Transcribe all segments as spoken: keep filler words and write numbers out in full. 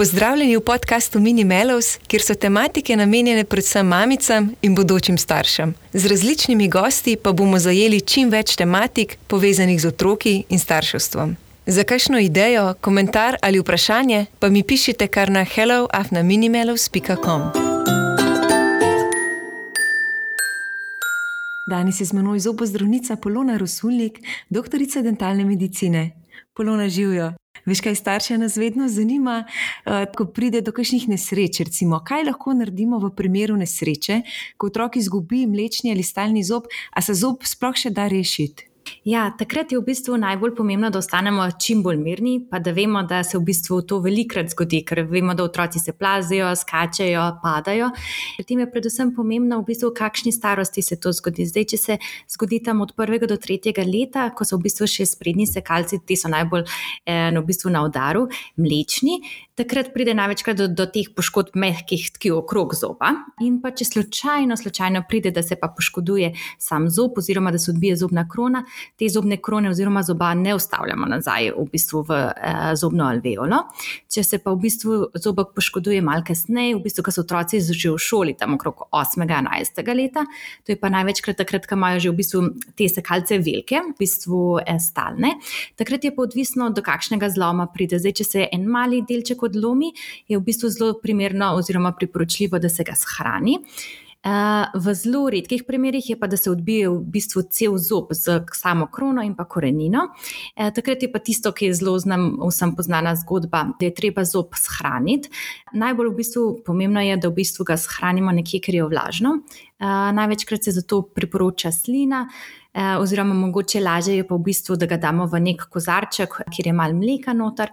Pozdravljeni v podkastu Mini Mellows, kjer so tematike namenjene predvsem mamicam in bodočim staršem. Z različnimi gosti pa bomo zajeli čim več tematik, povezanih z otroki in starševstvom. Za kakšno idejo, komentar ali vprašanje pa mi pišite kar na hello afna minimellows pika com. Danes je z menoj zobozdravnica Polona Rosulnik, doktorica dentalne medicine. Polona, živjo. Veš, kaj starše nas vedno zanima, ko pride do kakšnih nesreč, recimo, kaj lahko naredimo v primeru nesreče, ko otrok izgubi mlečni ali stalni zob, a se zob sploh še da rešiti? Ja, takrat je v bistvu najbolj pomembno, da ostanemo čim bolj mirni, pa da vemo, da se v bistvu to velikrat zgodi, ker vemo, da otroci se plazijo, skačejo, padajo. Pri tem je predvsem pomembno v bistvu, v kakšni starosti se to zgodi. Zdaj, če se zgodi tam od prvega do tretjega leta, ko so v bistvu še sprednji sekalci, ti so najbolj eh, v bistvu na udaru, mlečni, takrat pride največkrat do, do teh poškodb mehkih tkiv okrog zoba. In pa če slučajno, slučajno pride, da se pa poškoduje sam zob oziroma da se odbije zobna krona, te zobne krone oziroma zoba ne vstavljamo nazaj v bistvu v eh, zobno alveolo. Če se pa v bistvu zobek poškoduje malo kasneje, v bistvu, ko so otroci že v šoli, tam okrog osmega, enajstega leta, to je pa največkrat takrat, ko imajo že v bistvu te sekalce velike, v bistvu eh, stalne. Takrat je pa odvisno, do kakšnega zloma pride. Zdaj, če se en mali delček odlomi, je v bistvu zelo primerno oziroma priporočljivo, da se ga shrani. V zelo redkih primerih je pa, da se odbije v bistvu cel zob z samo krono in pa korenino. Takrat je pa tisto, ki je zelo znam, vsem poznana zgodba, da je treba zob shraniti. Najbolj v bistvu pomembno je, da v bistvu ga shranimo nekje, kjer je vlažno. Največkrat se zato priporoča slina, oziroma mogoče lažje je pa v bistvu, da ga damo v nek kozarček, kjer je malo mleka noter,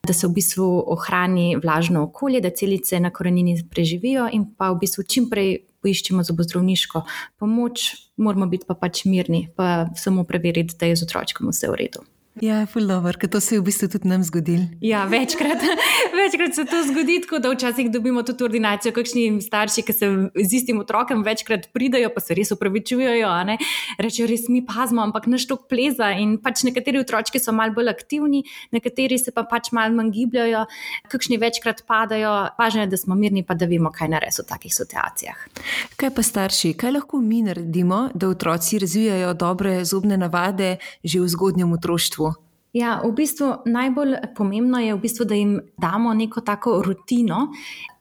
da se v bistvu ohrani vlažno okolje, da celice na korenini preživijo in pa v bistvu čim prej poiščemo zobozdravniško pomoč, moramo biti pa pač mirni, pa samo preveriti, da je z otročkom vse v redu. Ja, ful dobro, ker to se je v bistvu tudi nam zgodilo. Ja, večkrat, večkrat se to zgodi, tako da včasih dobimo tudi ordinacijo, kakšni starši, ki se z istim otrokom večkrat pridajo, pa se res opravičujejo, a ne, rečejo, res mi pazimo, ampak naš tok pleza in pač nekateri otročki so malo bolj aktivni, nekateri se pa pač malo manj gibljajo, kakšni večkrat padajo, važno je, da smo mirni, pa da vemo, kaj narediti v takih situacijah. Kaj pa starši, kaj lahko mi naredimo, da otroci razvijajo dobre zobne navade že v zgodnjem otroštvu? Ja, v bistvu najbolj pomembno je v bistvu, da jim damo neko tako rutino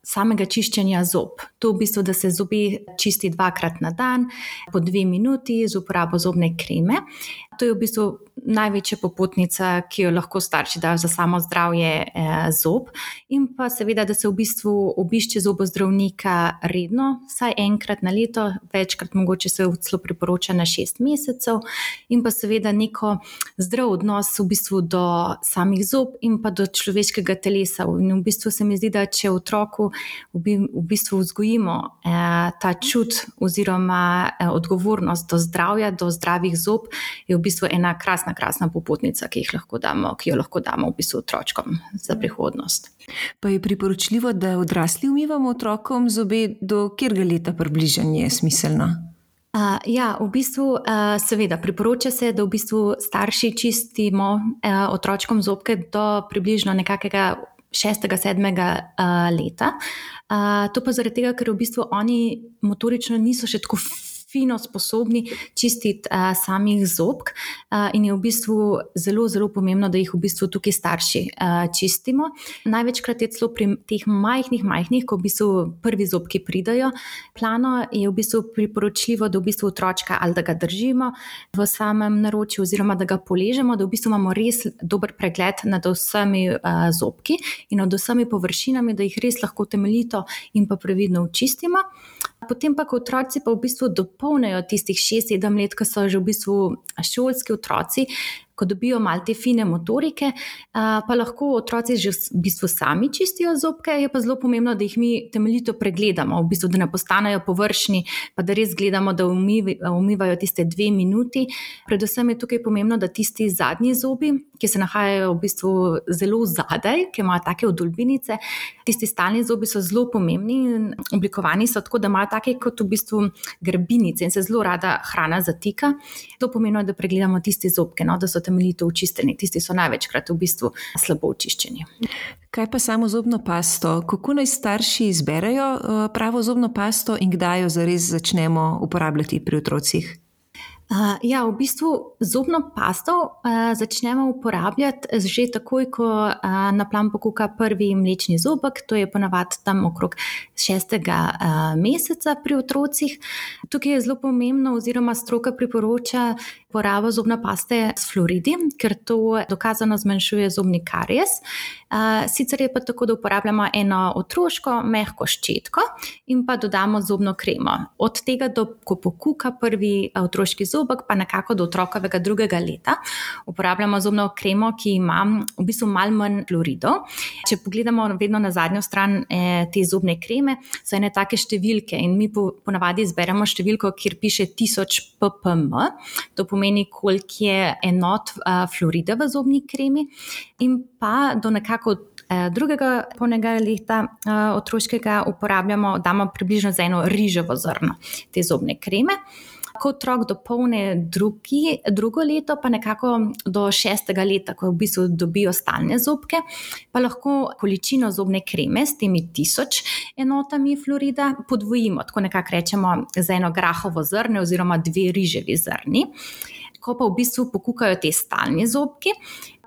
samega čiščenja zob. To v bistvu, da se zobe čisti dvakrat na dan, po dve minuti z uporabo zobne kreme. To je v bistvu največja popotnica, ki jo lahko starši dajo za samo zdravje eh, zob. In pa seveda, da se v bistvu obišče zobozdravnika redno, vsaj enkrat na leto, večkrat mogoče se celo priporoča na šest mesecev. In pa seveda neko zdrav odnos v bistvu do samih zob in pa do človeškega telesa. In v bistvu se mi zdi, da če otroku v bistvu vzgojimo eh, ta čut oziroma eh, odgovornost do zdravja, do zdravih zob, je v bistvu ena krasna, krasna popotnica, ki, jih lahko damo, ki jo lahko damo v bistvu otročkom za prihodnost. Pa je priporočljivo, da odrasli umivamo otrokom zobe, do katerega leta približanje je smiselno? Uh, ja, v bistvu uh, seveda priporoča se, da v bistvu starši čistimo uh, otročkom zobke do približno nekakega šestega, sedmega uh, leta. Uh, to pa zaradi tega, ker v bistvu oni motorično niso še tako fino sposobni čistiti uh, samih zobk uh, in je v bistvu zelo, zelo pomembno, da jih v bistvu tukaj starši uh, čistimo. Največkrat je celo pri teh majhnih, majhnih, ko v bistvu prvi zobki pridajo, plano je v bistvu priporočljivo, da v bistvu otročka ali da ga držimo v samem naročju oziroma da ga poležemo, da v bistvu imamo res dober pregled nad vsemi uh, zobki in nad vsemi površinami, da jih res lahko temeljito in pa previdno očistimo. Potem pa, ko otroci pa v bistvu dopolnijo tistih šest sedem let, ko so že v bistvu šolski otroci, ko dobijo malo te fine motorike, pa lahko otroci že v bistvu sami čistijo zobke, je pa zelo pomembno, da jih mi temeljito pregledamo, v bistvu, da ne postanejo površni, pa da res gledamo, da umivajo tiste dve minuti. Predvsem je tukaj pomembno, da tisti zadnji zobi, ki se nahajajo v bistvu zelo zadaj, ki imajo take odolbinice, tisti stalni zobi so zelo pomembni in oblikovani so tako, da imajo take kot v bistvu grbinice in se zelo rada hrana zatika. To pomeni, da pregledamo tiste zobke, no, da so temeljito očiščeni. Tisti so največkrat v bistvu slabo očiščeni. Kaj pa samo zobno pasto? Kako naj starši izberejo pravo zobno pasto in kdaj jo zares začnemo uporabljati pri otrocih? Uh, ja, v bistvu zobno pasto uh, začnemo uporabljati že takoj, ko uh, na plan pokuka prvi mlečni zobek, to je ponavadi tam okrog šestega uh, meseca pri otrocih. Tukaj je zelo pomembno oziroma stroka priporoča porabo zobne paste s fluoridi, ker to dokazano zmanjšuje zobni karies. Uh, sicer je pa tako, da uporabljamo eno otroško mehko ščetko in pa dodamo zobno kremo. Od tega, do ko pokuka prvi otroški zobek, zobek, pa nekako do otrokovega drugega leta uporabljamo zobno kremo, ki ima v bistvu malo manj fluoridov. Če pogledamo vedno na zadnjo stran eh, te zobne kreme, so ene take številke in mi po, ponavadi izberemo številko, kjer piše tisoč ppm, to pomeni, koliko je enot uh, fluorida v zobni kremi, in pa do nekako drugega polnega leta uh, otroškega uporabljamo, damo približno za eno riževo zrno te zobne kreme. Ko otrok dopolni drugi, drugo leto, pa nekako do šestega leta, ko v bistvu dobijo stalne zobke, pa lahko količino zobne kreme s temi tisoč enotami fluorida podvojimo, tako nekako rečemo za eno grahovo zrne oziroma dve riževi zrni. Ko pa v bistvu pokukajo te stalni zobki,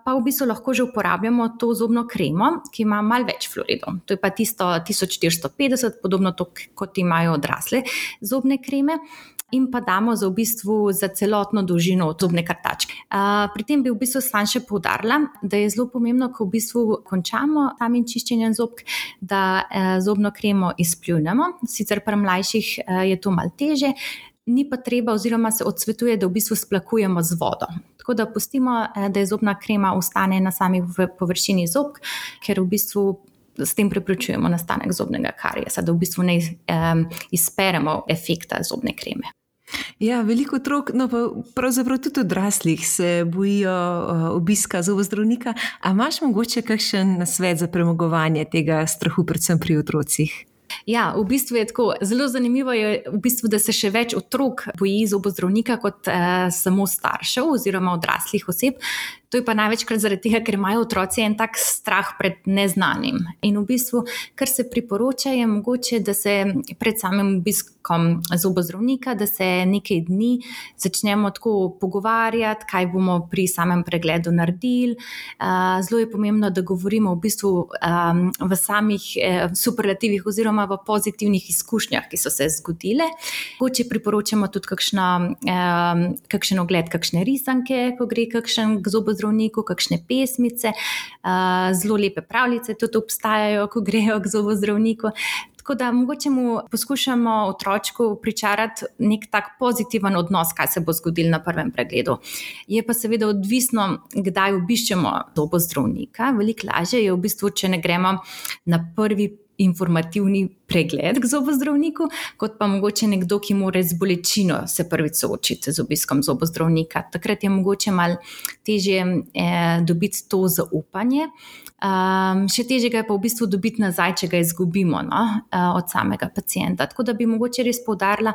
pa v bistvu lahko že uporabljamo to zobno kremo, ki ima malo več fluoridov. To je pa tisto tisoč štiristo petdeset, podobno to, kot imajo odrasle zobne kreme. In pa damo za v bistvu za celotno dolžino zobne krtačke. Uh, pri tem bi v bistvu sam še poudarila, da je zelo pomembno, ko v bistvu končamo samim čiščenjem zobk, da uh, zobno kremo izpljunemo. Sicer pri mlajših uh, je to malo teže, ni pa treba oziroma se odsvetuje, da v bistvu splakujemo z vodo. Tako da pustimo, uh, da je zobna krema ostane na sami površini zobk, ker v bistvu s tem preprečujemo nastanek zobnega kariesa, da v bistvu ne um, izperemo efekta zobne kreme. Ja, veliko otrok, no pa pravzaprav tudi odraslih se bojijo uh, obiska zobozdravnika. A imaš mogoče kakšen nasvet za premagovanje tega strahu, predvsem pri otrocih? Ja, v bistvu je tako, zelo zanimivo je v bistvu, da se še več otrok boji zobozdravnika kot eh, samo staršev oziroma odraslih oseb. To je pa največkrat zaradi tega, ker imajo otroci en tak strah pred neznanim. In v bistvu, kar se priporoča, je mogoče, da se pred samim obiskom zobozdravnika, da se nekaj dni začnemo tako pogovarjati, kaj bomo pri samem pregledu naredili. Zelo je pomembno, da govorimo v bistvu v samih superlativih oziroma v pozitivnih izkušnjah, ki so se zgodile. Mogoče priporočamo tudi kakšno, kakšen ogled, kakšne risanke, ko gre kakšen k zobozdravniku, zdravniku, kakšne pesmice, zelo lepe pravljice tudi obstajajo, ko grejo k zobozdravniku. Tako da mogoče mu poskušamo otročku pričarati nek tak pozitiven odnos, kaj se bo zgodilo na prvem pregledu. Je pa seveda odvisno, kdaj obiščemo zobozdravnika. Veliko lažje je v bistvu, če ne gremo na prvi informativni pregled k zobozdravniku, kot pa mogoče nekdo, ki mora z bolečino se prvič soočiti z obiskom zobozdravnika. Takrat je mogoče malo težje eh, dobiti to zaupanje. Um, še težje ga je pa v bistvu dobiti nazaj, če ga izgubimo, no, od samega pacienta. Tako da bi mogoče res poudarila,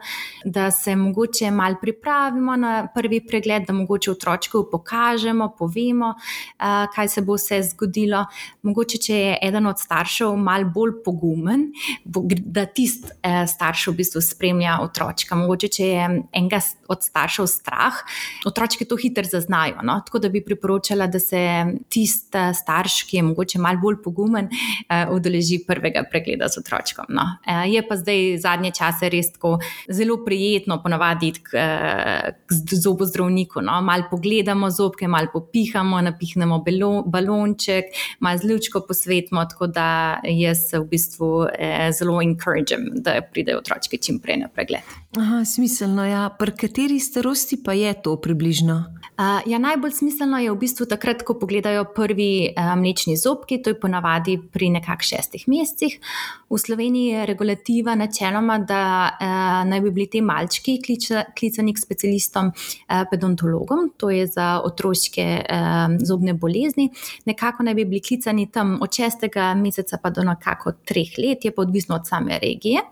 da se mogoče malo pripravimo na prvi pregled, da mogoče otročku pokažemo, povemo, uh, kaj se bo vse zgodilo. Mogoče, če je eden od staršev malo bolj pogumen, da tist eh, starš v bistvu spremlja otročka. Mogoče, če je enega od staršev strah, otročki to hitro zaznajo, no? Tako da bi priporočala, da se tist starš, ki je mogoče malo bolj pogumen, eh, udeleži prvega pregleda z otročkom. No? Eh, je pa zdaj zadnje čase res tako zelo prijetno ponavadi iti k, k zobozdravniku. No? Malo pogledamo zobke, malo popihamo, napihnemo belo, balonček, malo z lučko posvetimo, tako da jaz v bistvu eh, zelo encouragem, da pridejo otročki čim prej na pregled. Aha, smiselno, ja. Pri kateri starosti pa je to približno? Uh, ja, najbolj smiselno je v bistvu takrat, ko pogledajo prvi uh, mlečni zobki, to je ponavadi pri nekak šestih mesecih. V Sloveniji je regulativa načeloma, da uh, naj bi bili te malčki klica, klicani k specialistom uh, pedontologom, to je za otroške uh, zobne bolezni. Nekako naj bi bili klicani tam od šestega meseca pa do nekako treh let, je pa odvisno od same regije.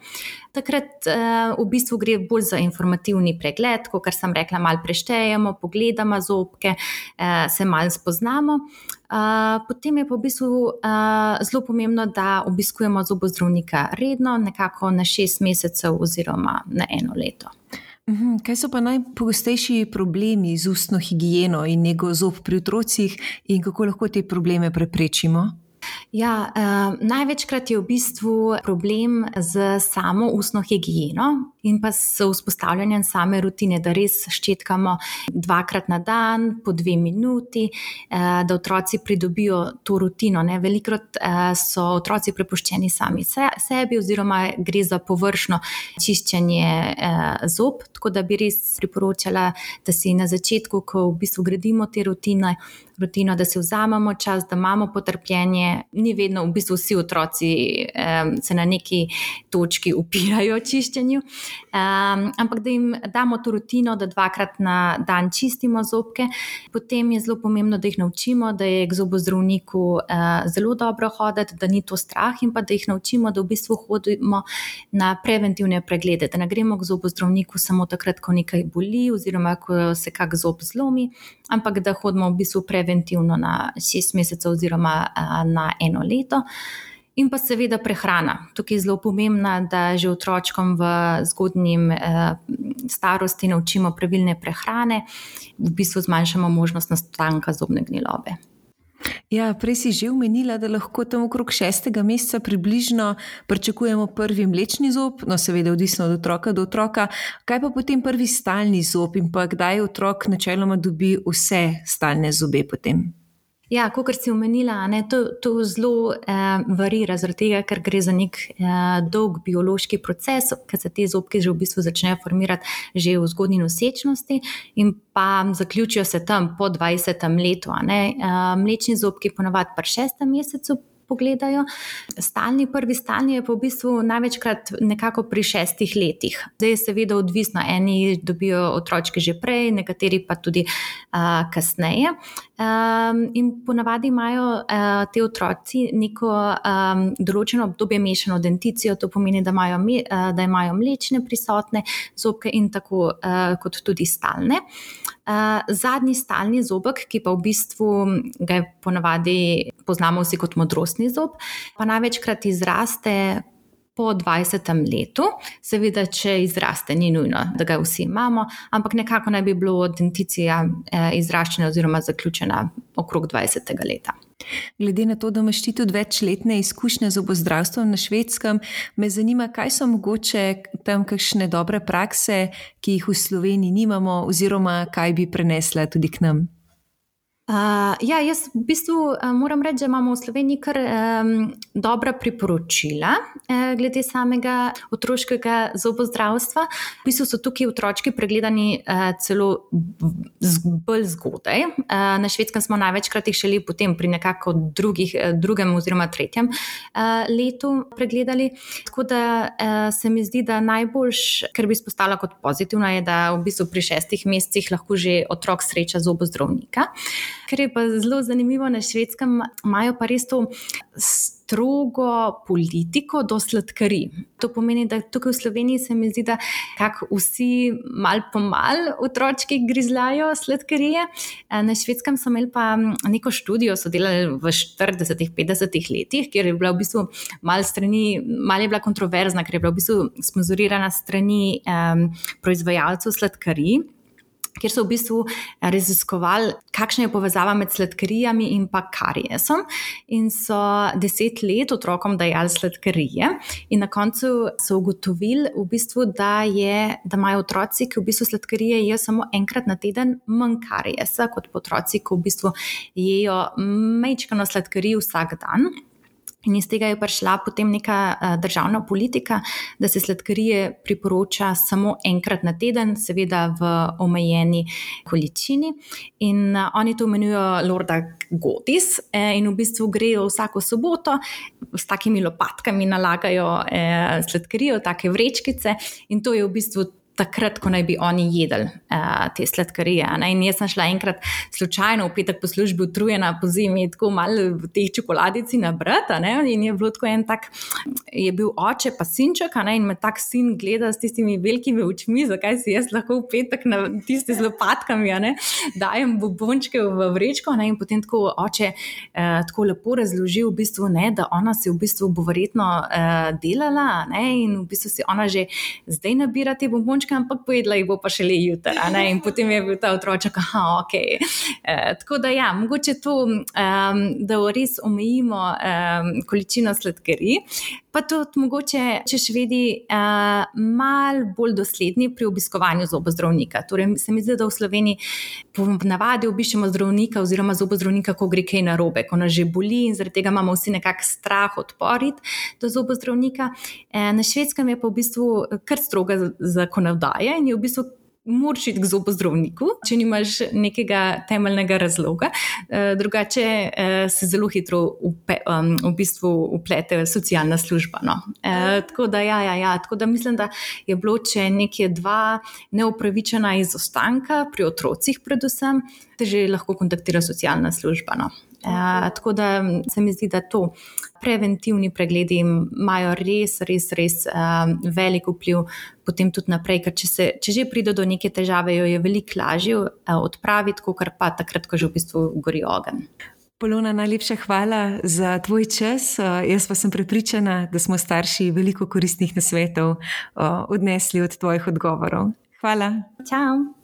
Takrat uh, v bistvu gre bolj za informativni pregled, kot sem rekla, malo preštejemo, pogledamo umivama zobke, uh, se malo spoznamo. Uh, potem je pa v bistvu uh, zelo pomembno, da obiskujemo zobozdravnika redno, nekako na šest mesecev oziroma na eno leto. Uhum, kaj so pa najpogostejši problemi z ustno higieno in nego zob pri otrocih in kako lahko te probleme preprečimo? Ja, uh, največkrat je v bistvu problem z samo ustno higieno in pa s vzpostavljanjem same rutine, da res ščetkamo dvakrat na dan, po dve minuti, uh, da otroci pridobijo to rutino. Ne? Velikokrat uh, so otroci prepuščeni sami se, sebi oziroma gre za površno čiščenje uh, zob, tako da bi res priporočala, da si na začetku, ko v bistvu gradimo te rutine, rutino, da si vzamemo čas, da imamo potrpljenje. Ni vedno, v bistvu vsi otroci um, se na neki točki upirajo čiščenju, um, ampak da jim damo to rutino, da dvakrat na dan čistimo zobke. Potem je zelo pomembno, da jih naučimo, da je k zobozdravniku uh, zelo dobro hoditi, da ni to strah in pa da jih naučimo, da v bistvu hodimo na preventivne preglede, da ne gremo k zobozdravniku samo takrat, ko nekaj boli oziroma ko se kak zob zlomi, ampak da hodimo v bistvu preventivno na šest mesecev oziroma uh, na eno leto. In pa seveda prehrana. Tukaj je zelo pomembna, da že otročkom v zgodnjim eh, starosti naučimo pravilne prehrane, v bistvu zmanjšamo možnost nastanka zobne gnilobe. Ja, prej si že omenila, da lahko tam okrog šestega meseca približno pričakujemo prvi mlečni zob, no seveda odvisno od otroka do otroka. Kaj pa potem prvi stalni zob in pa kdaj otrok načeloma dobi vse stalne zobe potem? Ja, kakor si omenila, ne, to, to zelo eh, varira, zaradi tega, ker gre za nek eh, dolg biološki proces, ker se te zobke že v bistvu začnejo formirati že v zgodnji nosečnosti in pa zaključijo se tam po dvajsetem letu. Ne. Eh, mlečni zobki ponavadi pri šestem mesecu pogledajo. Stalni, prvi stalni je pa v bistvu največkrat nekako pri šestih letih. Zdaj je seveda odvisno, eni dobijo otročke že prej, nekateri pa tudi uh, kasneje. Um, in ponavadi imajo uh, te otroci neko um, določeno obdobje mešano denticijo, to pomeni, da imajo, me, uh, da imajo mlečne prisotne zobke in tako uh, kot tudi stalne. Uh, zadnji stalni zobek, ki pa v bistvu ga ponavadi poznamo vsi kot modrostni zob, pa največkrat izraste po dvajsetem letu. Seveda, če izraste, ni nujno, da ga vsi imamo, ampak nekako naj bi bilo denticija eh, izraščena oziroma zaključena okrog dvajsetega leta. Glede na to, da imaš ti tudi večletne izkušnje z zobozdravstvom na Švedskem, me zanima, kaj so mogoče tam kakšne dobre prakse, ki jih v Sloveniji nimamo oziroma kaj bi prenesla tudi k nam? Uh, ja, jaz v bistvu uh, moram reči, da imamo v Sloveniji kar um, dobra priporočila uh, glede samega otroškega zobozdravstva. V bistvu so tukaj otročki pregledani uh, celo z, bolj zgodaj. Uh, na Švedskem smo največkrat jih šele potem pri nekako drugih, drugem oziroma tretjem uh, letu pregledali. Tako da uh, se mi zdi, da najboljš, kar bi izpostavila kot pozitivno, je, da v bistvu pri šestih mesecih lahko že otrok sreča zobozdravnika. Ker je pa zelo zanimivo, na Švedskem imajo pa res to strogo politiko do sladkarij. To pomeni, da tukaj v Sloveniji se mi zdi, da kako vsi mal po mal otročki grizlajo sladkarije. Na Švedskem so imeli pa neko študijo, so delali v štiridesetih, petdesetih letih, kjer je bila v bistvu mal strani, mal je bila kontroverzna, ker je bila v bistvu sponzorirana strani um, proizvajalcev sladkarij, kjer so v bistvu raziskovali, kakšna je povezava med sladkarijami in pa kariesom. In so deset let otrokom dajali sladkarije in na koncu so ugotovili, v bistvu, da, je, da imajo otroci, ki v bistvu sladkarije jejo samo enkrat na teden, manj kariesa kot pa otroci, ki v bistvu jejo majčkeno sladkarij vsak dan. In iz tega je prišla potem neka uh, državna politika, da se sladkarije priporoča samo enkrat na teden, seveda v omejeni količini. In uh, oni to imenujo Lorda Godis eh, in v bistvu grejo vsako soboto s takimi lopatkami nalagajo eh, sladkarijo, take vrečkice in to je v bistvu takrat, ko naj bi oni jedli uh, te sladkarije. Ne? In jaz sem šla enkrat slučajno v petek po službi utrujena po zimi, tako malo v teh čokoladici nabrata, ne? In je bilo tako en tak, je bil oče pa sinček, ne? In me tak sin gleda s tistimi velikimi očmi, zakaj si jaz lahko v petek na tiste z lopatkami, ne? Dajem bombončke v vrečko, ne? In potem tako oče uh, tako lepo razložil v bistvu, ne, da ona si v bistvu bo verjetno uh, delala, ne? In v bistvu si ona že zdaj nabira te bombončke, ampak pojedla jih bo pa šele jutri. In potem je bil ta otroček, aha, ok. E, tako da ja, mogoče to, um, da res omejimo um, količino sladkarij, pa tudi mogoče, če švedi uh, malo bolj dosledni pri obiskovanju zobozdravnika. Torej, se mi zdi, da v Sloveniji po navadi obiščemo zdravnika oziroma zobozdravnika, ko gre kaj narobe, ko nas že boli in zaradi tega imamo vsi nekak strah odporit do zobozdravnika. E, na Švedskem je pa v bistvu kar stroga zakonodaja in je v bistvu moraš iti k zobozdravniku, če nimaš nekega temeljnega razloga. E, drugače e, se zelo hitro upe, um, v bistvu uplete socialna služba. No. E, tako da ja, ja, ja, tako da mislim, da je bilo, če nekje dva neupravičena izostanka pri otrocih predvsem, te že lahko kontaktira socialna služba. No. E, tako da se mi zdi, da to preventivni pregledi imajo res, res, res um, velik vpliv potem tudi naprej, ker če, se, če že pride do neke težave, jo je veliko lažje uh, odpraviti, kakor pa takrat, ko že v bistvu gori ogenj. Polona, najlepša hvala za tvoj čas. Uh, jaz pa sem prepričana, da smo starši veliko koristnih nasvetov uh, odnesli od tvojih odgovorov. Hvala. Čau.